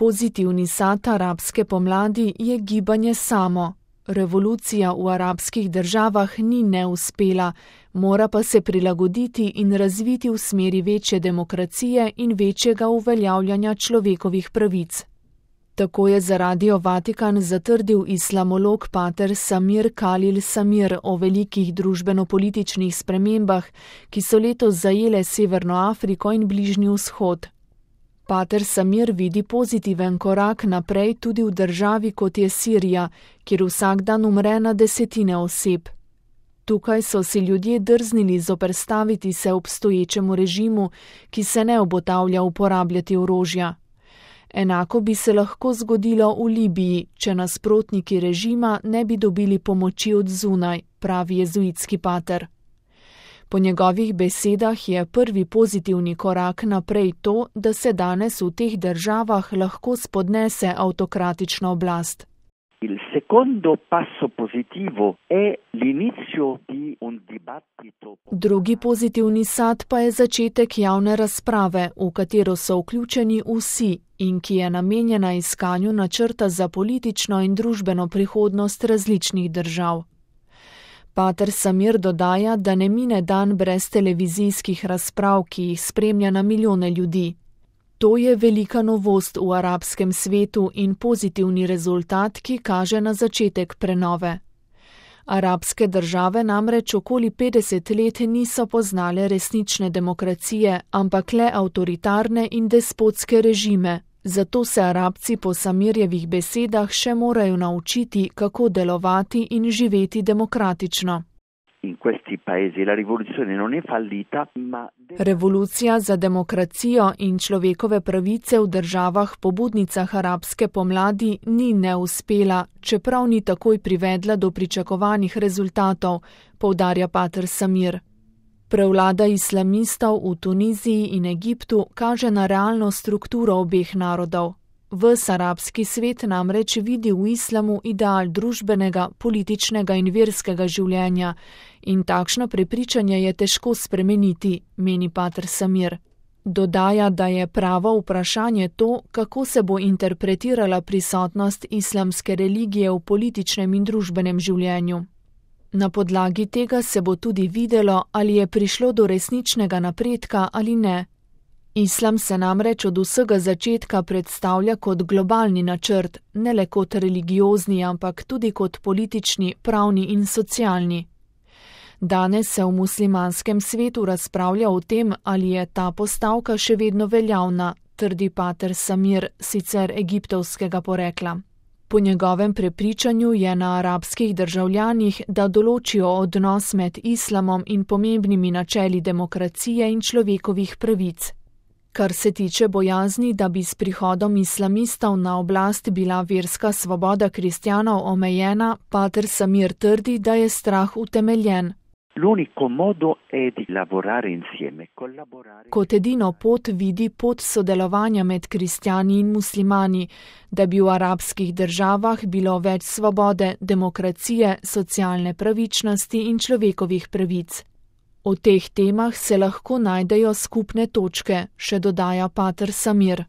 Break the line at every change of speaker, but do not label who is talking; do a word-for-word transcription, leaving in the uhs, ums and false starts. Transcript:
Pozitivni sad arabske pomladi je gibanje samo. Revolucija v arabskih državah ni neuspela, mora pa se prilagoditi in razviti v smeri večje demokracije in večjega uveljavljanja človekovih pravic. Tako je za Radio Vatikan zatrdil islamolog pater Samir Khalil Samir o velikih družbeno-političnih spremembah, ki so letos zajele Severno Afriko in Bližnji vzhod. Pater Samir vidi pozitiven korak naprej tudi v državi kot je Sirija, kjer vsak dan umre na desetine oseb. Tukaj so si ljudje drznili zoperstaviti se obstoječemu režimu, ki se ne obotavlja uporabljati orožja. Enako bi se lahko zgodilo v Libiji, če nasprotniki režima ne bi dobili pomoči od zunaj, pravi jezuitski pater. Po njegovih besedah je prvi pozitivni korak naprej to, da se danes v teh državah lahko spodnese avtokratična oblast.
Il secondo passo positivo è l'inizio di un dibattito.
Drugi pozitivni sad pa je začetek javne razprave, v katero so vključeni vsi in ki je namenjena iskanju načrta za politično in družbeno prihodnost različnih držav. Pater Samir dodaja, da ne mine dan brez televizijskih razprav, ki jih spremlja na milijone ljudi. To je velika novost v arabskem svetu in pozitivni rezultat, ki kaže na začetek prenove. Arabske države namreč okoli petdeset let niso poznale resnične demokracije, ampak le avtoritarne in despotske režime. Zato se Arabci po Samirjevih besedah še morajo naučiti, kako delovati in živeti demokratično.
In questi paesi la rivoluzione non è fallita, ma
Revolucija za demokracijo in človekove pravice v državah pobudnicah arabske pomladi ni neuspela, čeprav ni takoj privedla do pričakovanih rezultatov, poudarja pater Samir. Prevlada islamistov v Tuniziji in Egiptu kaže na realno strukturo obeh narodov. Ves arabski svet namreč vidi v islamu ideal družbenega, političnega in verskega življenja in takšno prepričanje je težko spremeniti, meni pater Samir. Dodaja, da je pravo vprašanje to, kako se bo interpretirala prisotnost islamske religije v političnem in družbenem življenju. Na podlagi tega se bo tudi videlo, ali je prišlo do resničnega napredka ali ne. Islam se namreč od vsega začetka predstavlja kot globalni načrt, ne le kot religiozni, ampak tudi kot politični, pravni in socialni. Danes se v muslimanskem svetu razpravlja o tem, ali je ta postavka še vedno veljavna, trdi pater Samir, sicer egiptovskega porekla. Po njegovem prepričanju je na arabskih državljanih, da določijo odnos med islamom in pomembnimi načeli demokracije in človekovih pravic. Kar se tiče bojazni, da bi s prihodom islamistov na oblast bila verska svoboda kristjanov omejena, pater Samir trdi, da je strah utemeljen.
L'unico modo è di lavorare insieme, collaborare.
Kot edino pot vidi pot sodelovanja med kristjani in muslimani, da bi v arabskih državah bilo več svobode, demokracije, socialne pravičnosti in človekovih pravic. O teh temah se lahko najdejo skupne točke, še dodaja pater Samir.